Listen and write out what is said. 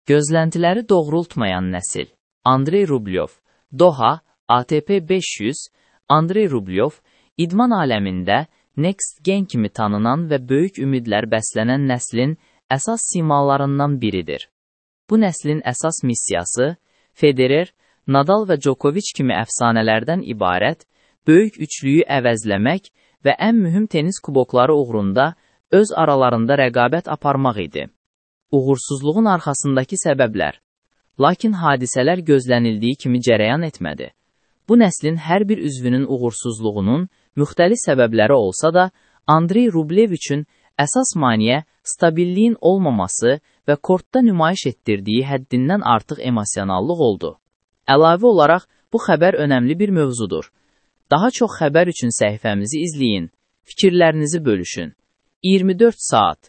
Gözləntiləri doğrultmayan nəsil. Andrey Rublev, Doha, ATP 500, Andrey Rublev, idman aləmində Next Gen kimi tanınan və böyük ümidlər bəslənən nəslin əsas simalarından biridir. Bu nəslin əsas missiyası Federer, Nadal və Djokovic kimi əfsanələrdən ibarət böyük üçlüyü əvəzləmək və ən mühüm tenis kubokları uğrunda öz aralarında rəqabət aparmaq idi. Uğursuzluğun arxasındakı səbəblər. Lakin hadisələr gözlənildiyi kimi cərəyan etmədi. Bu nəslin hər bir üzvünün uğursuzluğunun müxtəlif səbəbləri olsa da, Andrey Rublev üçün əsas maneə stabilliyin olmaması və kortda nümayiş etdirdiyi həddindən artıq emosionallıq oldu. Əlavə olaraq, bu xəbər önəmli bir mövzudur. Daha çox xəbər üçün səhifəmizi izləyin, fikirlərinizi bölüşün. 24 saat.